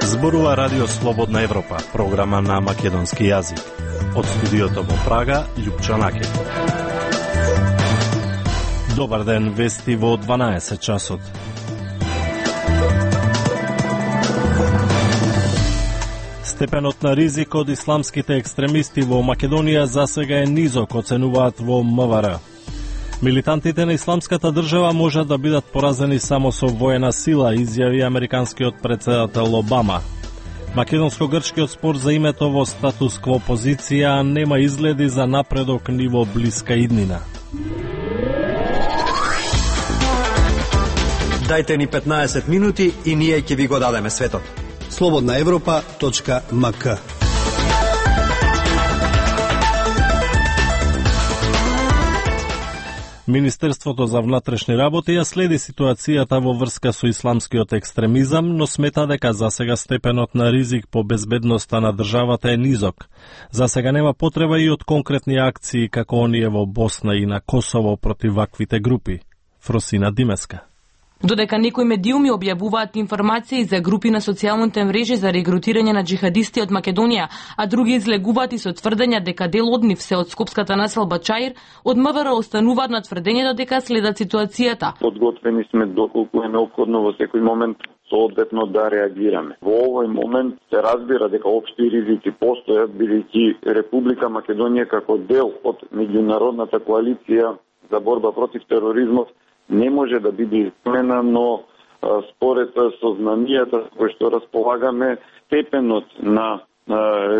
Зборува Радио Слободна Европа, програма на македонски јазик. Од студиото во Прага, Љупчо Накев. Добар ден, вести во 12 часот. Степенот на ризик од исламските екстремисти во Македонија засега е низок, оценуваат во МВР. Милитантите на исламската држава можат да бидат поразени само со воена сила, изјави американскиот претседател Обама. Македонско-грчкиот спор за името во статус-кво позиција нема изгледи за напредок ни во блиска иднина. Дајте ни 15 минути и ние ќе ви го дадеме светот. slobodnaevropa.mk. Министерството за внатрешни работи ја следи ситуацијата во врска со исламскиот екстремизам, но смета дека засега степенот на ризик по безбедноста на државата е низок. Засега нема потреба и од конкретни акции како оние во Босна и на Косово против ваквите групи. Фросина Димеска. Додека некои медиуми објавуваат информации за групи на социјалните мрежи за регрутирање на джихадисти од Македонија, а други излегуваат и со тврдења дека дел од нив се од скопската населба Чаир, од МВР остануваат на тврдењето дека следат ситуацијата. Подготвени сме доколку е неопходно во секој момент соодветно да реагираме. Во овој момент се разбира дека општи ризици постојат, бидејќи Република Македонија како дел од меѓународната коалиција за борба против тероризмот не може да биде измена, но според сознамијата кои што располагаме, степенот на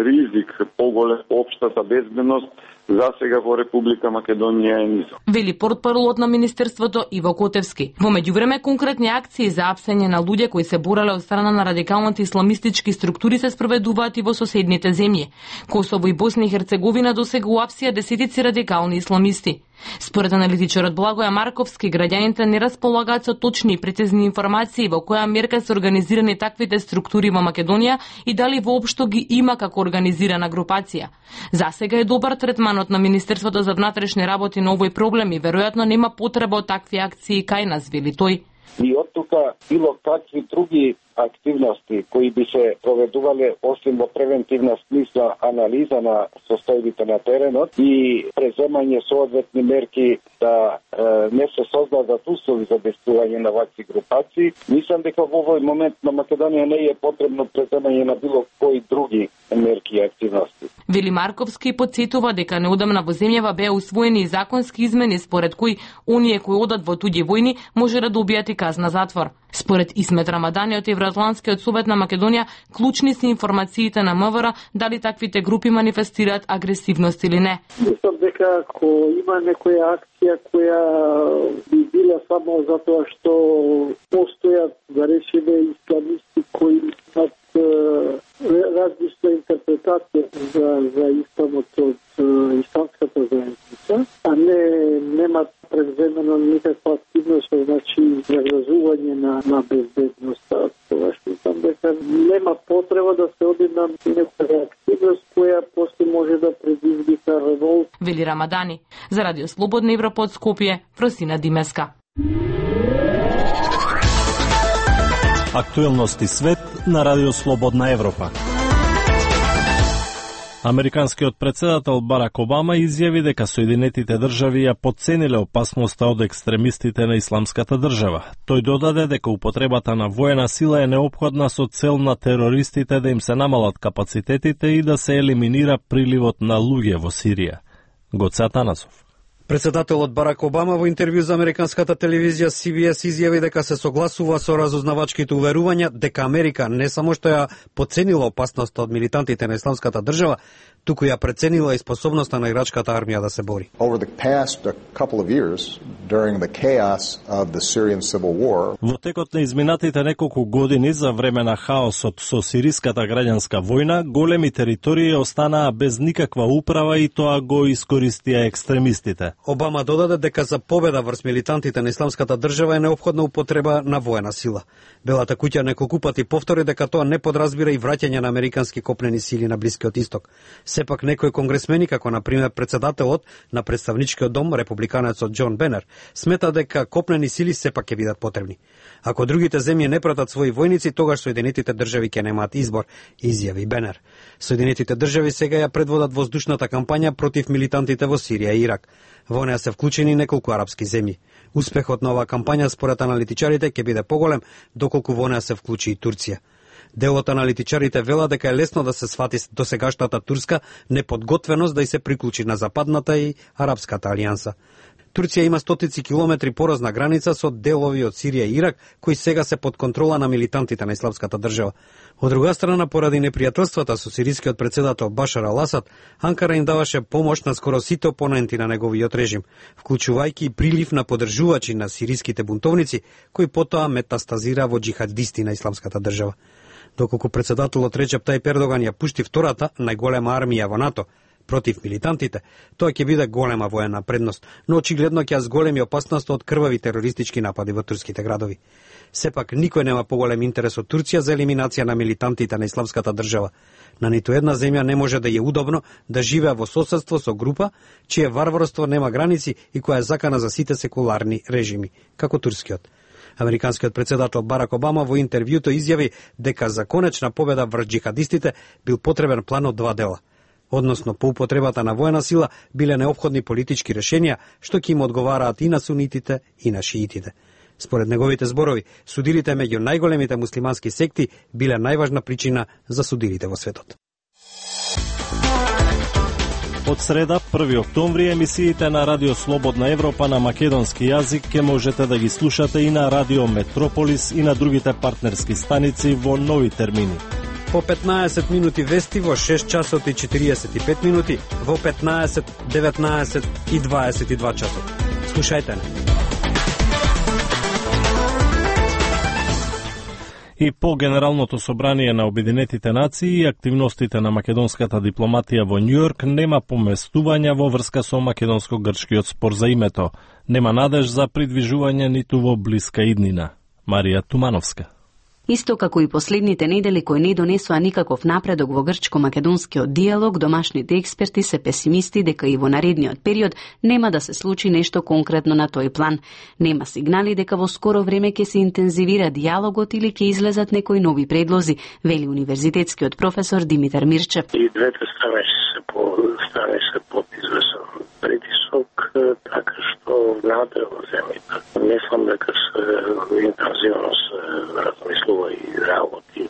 ризик поголем општата безбедност засега во Република Македонија е низок. Вели портпаролот на Министерството Иво Котевски. Во меѓувреме конкретни акции за апсење на луѓе кои се бореле од страна на радикалните исламистички структури се спроведуваат и во соседните земји. Косово и Босна и Херцеговина досега уапсија десетици радикални исламисти. Според аналитичарот Благоја Марковски, граѓаните не располагаат со точни и прецизни информации во која мерка се организирани таквите структури во Македонија и дали воопшто ги има како организирана групација. Засега е добар третманот на Министерството за внатрешни работи на овој проблем и веројатно нема потреба од такви акции кај нас, вели тој. И од тука било какви други активности кои би се проведувале освен во превентивна смисла анализа на состојбите на теренот и преземање соодветни мерки да не се создадат услови за действување на вакви групации. Мислам дека во овој момент на Македонија не е потребно преземање на било кои други мерки и активности. Вели Марковски потсетува дека неодамна во земјава беа усвоени и законски измени според кои оние кои одат во туѓи војни може да добијат и казна затвор. Според Исмет Рамадани од Евроатлантскиот совет на Македонија, клучни се информациите на МВР дали таквите групи манифестираат агресивност или не. Мислам дека ако има некоја акција која би била само затоа што постојат, да речеме, исламисти кои имаат различна интерпретација за исламот од исламската заедница, а немат преземено никаква активност, значи загрозување на безбедноста. Тоа што мислам дека нема потреба да се оди на некоја активност која после може да предизвика револт. Вели Рамадани. За Радио Слободна Европа од Скопје, Фросина Димеска. Актуелности свет на Радио Слободна Европа. Американскиот претседател Барак Обама изјави дека Соединетите држави ја потцениле опасноста од екстремистите на исламската држава. Тој додаде дека употребата на воена сила е неопходна со цел на терористите да им се намалат капацитетите и да се елиминира приливот на луѓе во Сирија. Гоце Атанасов. Председателот Барак Обама во интервју за американската телевизија CBS изјави дека се согласува со разузнавачките уверувања дека Америка не само што ја потценила опасноста од милитантите на исламската држава, туку ја преценила и способноста на ирачката армија да се бори. Over the past couple of years, during the chaos of the Syrian civil war, во текот на изминатите неколку години за време на хаосот со сириската граѓанска војна, големи територии останаа без никаква управа и тоа го искористија екстремистите. Обама додаде дека за победа врз милитантите на Исламската држава е неопходна употреба на воена сила. Белата куќа неколку пати повтори дека тоа не подразбира и враќање на американски копнени сили на Блискиот исток. Сепак некои конгресмени, како на пример председателот на представничкиот дом, републиканецот Џон Бенер, смета дека копнени сили сепак ќе бидат потребни. Ако другите земји не пратат своји војници, тогаш Соединетите држави ќе немаат избор, изјави Бенер. Соединетите држави сега ја предводат воздушната кампања против милитантите во Сирија и Ирак. Во неа се вклучени неколку арапски земји. Успехот на оваа кампања според аналитичарите ќе биде поголем доколку во неа се вклучи и Турција. Дел од аналитичарите вела дека е лесно да се свати досегашната турска неподготвеност да и се приклучи на западната и арапската алијанса. Турција има стотици километри поразна граница со делови од Сирија и Ирак, кои сега се под контрола на милитантите на Исламската држава. Од друга страна, поради непријателствата со сирискиот председател Башар ал-Асад, Анкара им даваше помош на скоро сите опоненти на неговиот режим, вклучувајќи и прилив на поддржувачи на сириските бунтовници, кои потоа метастазира во џихадисти на Исламската држава. Доколку председателот Реџеп Тајип Ердоган ја пушти втората најголема армија во НАТО против милитантите, тоа ќе биде голема воена предност, но очигледно ќе зголеми опасност од крвави терористички напади во турските градови. Сепак никој нема поголем интерес од Турција за елиминација на милитантите на Исламската држава. На ниту една земја не може да е удобно да живее во соседство со група чие варварство нема граници и која е закана за сите секуларни режими, како турскиот. Американскиот председател Барак Обама во интервјуто изјави дека за конечна победа врз џихадистите бил потребен план од два дела. Односно, по употребата на воена сила биле неопходни политички решенија што ќе им одговараат и на сунитите и на шиитите. Според неговите зборови, судилите меѓу најголемите муслимански секти биле најважна причина за судилите во светот. Од среда, 1 октомври, емисиите на Радио Слободна Европа на македонски јазик ќе можете да ги слушате и на Радио Метрополис и на другите партнерски станици во нови термини. По 15 минути вести во 6 часот и 45 минути, во 15, 19 и 22 часот. Слушајте не. И по Генералното собрание на Обединетите нации и активностите на македонската дипломатија во Њујорк нема поместувања во врска со македонско-грчкиот спор за името. Нема надеж за придвижување ниту во блиска иднина. Марија Тумановска. Исто како и последните недели кои не донесоа никаков напредок во грчко-македонскиот диалог, домашните експерти се песимисти дека и во наредниот период нема да се случи нешто конкретно на тој план. Нема сигнали дека во скоро време ќе се интензивира диалогот или ќе излезат некои нови предлози, вели универзитетскиот професор Димитар Мирчев. И двете страни се под извесен притисок, така што владе во земјата. Мислам дека се интензивно се размислува и работи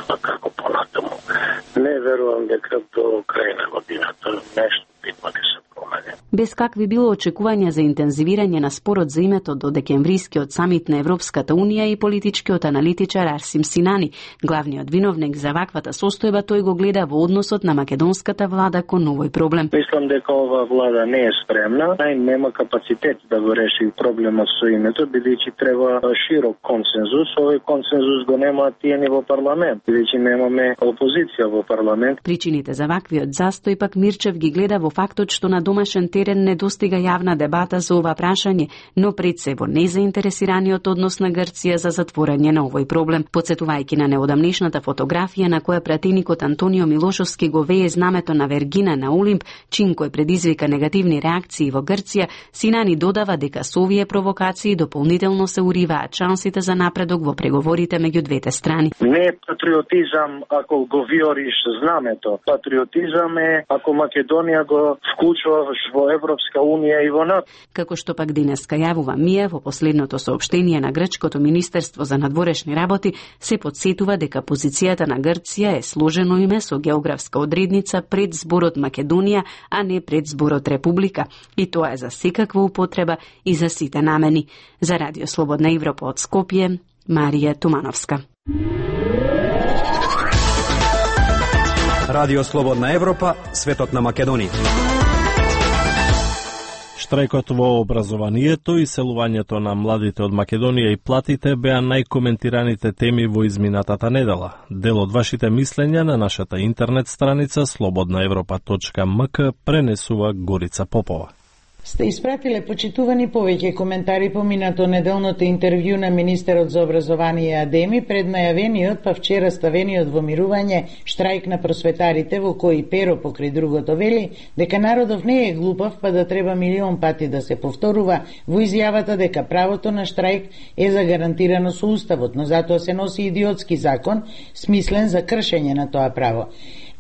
тоа како понатаму. Не верувам дека до крај на годината нешто битно ќе се промени. Без какви било очекувања за интензивирање на спорот за името до декемврискиот самит на Европската Унија и политичкиот аналитичар Арсим Синани, главниот виновник за ваквата состојба, тој го гледа во односот на македонската влада кон овој проблем. Мислам дека ова влада не е спремна, нема капацитет да го реши проблемот со името, бидејќи треба широк консензус. Овој консензус го немаат тие ни во парламент, бидејќи немаме опозиција во парламент. Причините за ваквиот застој пак Мирчев ги гледа во фактот што на домашен терен не достига јавна дебата за ова прашање, но пред се во незаинтересираниот однос на Грција за затворање на овој проблем. Подсетувајќи на неодамнешната фотографија на која пратеникот Антонио Милошовски го вее знамето на Вергина на Олимп, чин кој предизвика негативни реакции во Грција, Синани додава дека со овие провокации дополнително се уриваат шансите за напредок во преговорите меѓу двете страни. Не е патриотизам ако го виориш знамето. Патриотизам е ако Македонија го вклучуваш во Европска Унија и во НАТО. Како што пак денеска јавува МИА во последното соопштение на грчкото Министерство за надворешни работи, се подсетува дека позицијата на Грција е сложено име со географска одредница пред зборот Македонија, а не пред зборот Република. И тоа е за секаква употреба и за сите намени. За Радио Слободна Европа од Скопје, Марија Тумановска. Радио Слободна Европа, светот на Македонија. Штрајкот во образованието и селувањето на младите од Македонија и платите беа најкоментираните теми во изминатата недела. Дел од вашите мислења на нашата интернет страница slobodnaevropa.mk пренесува Горица Попова. Сте испратиле почитувани повеќе коментари по минато неделното интервју на министерот за образование и Адеми пред најавениот па вчера ставениот во мирување штрајк на просветарите, во кој Перо покрај другото вели дека народов не е глупав па да треба милион пати да се повторува во изјавата дека правото на штрајк е загарантирано со уставот, но затоа се носи идиотски закон смислен за кршење на тоа право.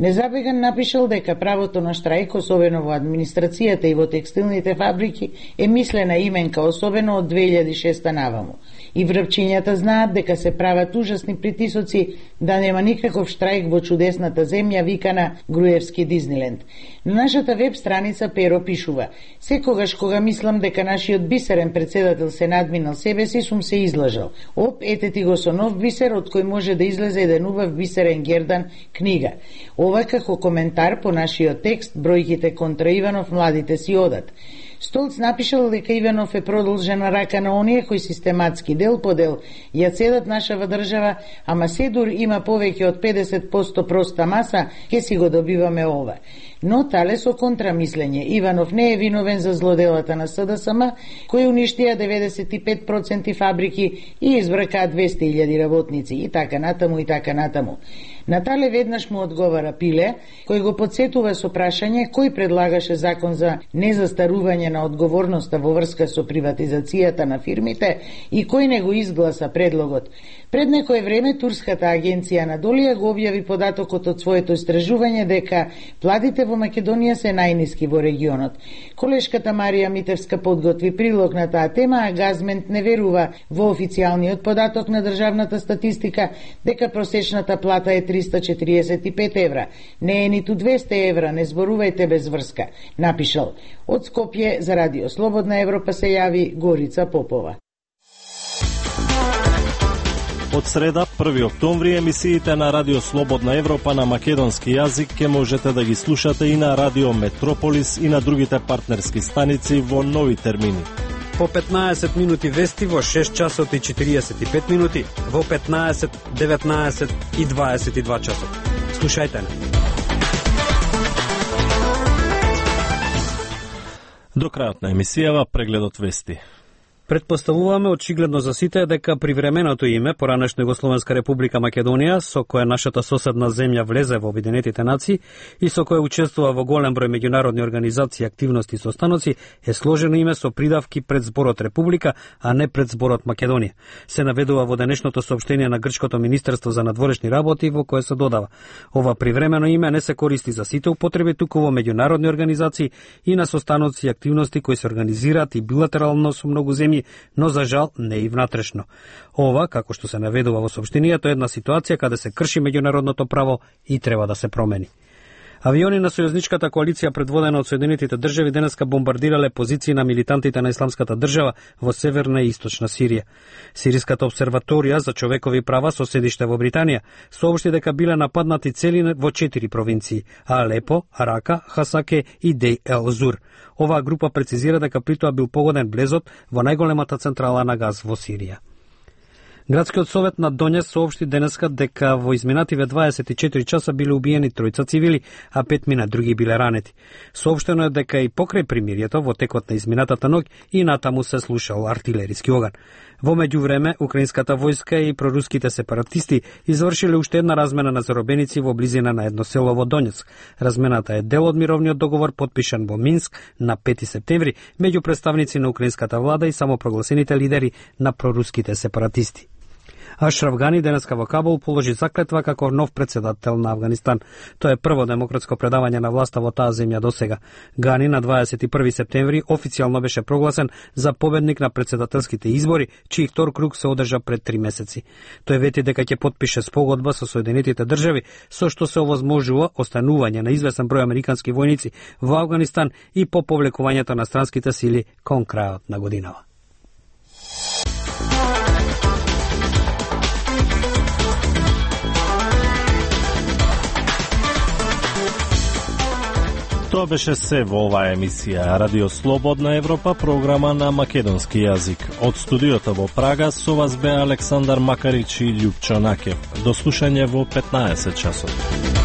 Незабеган напишал дека правото на штрајк, особено во администрацијата и во текстилните фабрики, е мислена именка, особено од 2006 наваму. И врвчињата знаат дека се прават ужасни притисоци да нема никаков штрајк во чудесната земја викана Груевски Дизниленд. На нашата веб страница Перо пишува: секогаш кога мислам дека нашиот бисерен председател се надминал себе си, сум се излажал. Оп, ете ти го со нов бисер, од кој може да излезе еден убав бисерен Гердан книга. Ова како коментар по нашиот текст, бројките контра Иванов младите си одат. Столц напишал дека Иванов е продолжена рака на оние кои систематски дел по дел ја цедат нашава држава, ама седур има повеќе од 50% проста маса, ке си го добиваме ова. Но тале со контрамислење, Иванов не е виновен за злоделата на СДСМ, кои уништија 95% фабрики и избракаа 200.000 работници, и така натаму, и така натаму. Натале веднаш му одговара Пиле, кој го подсетува со прашање кој предлагаше закон за незастарување на одговорноста во врска со приватизацијата на фирмите и кој не го изгласа предлогот. Пред некое време турската агенција Анадолија го објави податокот од своето истражување дека платите во Македонија се најниски во регионот. Колешката Марија Митевска подготви прилог на таа тема, а Газмент не верува во официјалниот податок на државната статистика дека просечната плата е 345 евра. Не е ниту 200 евра, не зборувајте без врска, напишал. Од Скопје за Радио Слободна Европа се јави Горица Попова. Од среда, 1 октомври, емисиите на Радио Слободна Европа на македонски јазик ке можете да ги слушате и на Радио Метрополис и на другите партнерски станици во нови термини. По 15 минути вести во 6 часот и 45 минути, во 15, 19 и 22 часот. Слушајте не. До крајот на емисијава прегледот вести. Предпоставуваме очигледно за сите дека привременото име поранешна Југословенска република Македонија, со кое нашата соседна земја влезе во Обединетите нации и со кое учествува во голем број меѓународни организации, активности и состаноци, е сложено име со придавки пред зборот Република, а не пред зборот Македонија. Се наведува во денешното соопштение на Грчкото министерство за надворешни работи, во кое се додава: ова привремено име не се користи за сите употреби, туку во меѓународни организации и на состаноци и активности кои се организираат и билатерално со многу земји, но за жал не и внатрешно. Ова, како што се наведува во соопштението, е една ситуација каде се крши меѓународното право и треба да се промени. Авиони на сојузничката коалиција предводена од Соединетите држави денеска бомбардирале позиции на милитантите на Исламската држава во северна и источна Сирија. Сириската обсерваторија за човекови права со седиште во Британија соопшти дека биле нападнати цели во 4 провинции: Алепо, Рака, Хасаке и Дей ел Зур. Оваа група прецизира дека при тоа бил погоден блезот во најголемата централа на газ во Сирија. Градскиот совет на Донјас соопшти денеска дека во изминативе 24 часа биле убиени 3 цивили, а 5 други биле ранети. Соопштено е дека и покрај примирието во текот на изминатата ноќ и натаму се слушал артилериски оган. Во меѓувреме, украинската војска и проруските сепаратисти извршиле уште една размена на заробеници во близина на едно село во Донјаск. Размената е дел од мировниот договор подпишан во Минск на 5 септември меѓу представници на украинската влада и самопрогласените лидери на проруските сепаратисти. Ашраф Гани денеска во Кабул положи заклетва како нов председател на Авганистан. Тоа е прво демократско предавање на власта во таа земја досега. Гани на 21 септември официјално беше прогласен за победник на председателските избори, чиј втор круг се одржа пред 3 месеци. Тој вети дека ќе подпише спогодба со Соединетите држави, со што се овозможува останување на известен број американски војници во Авганистан и по повлекувањето на странските сили кон крајот на годинава. Тоа беше се во оваа емисија Радио Слободна Европа, програма на македонски јазик. Од студиото во Прага со вас бе Александар Макарич и Љупчо Накев. До слушање во 15 часот.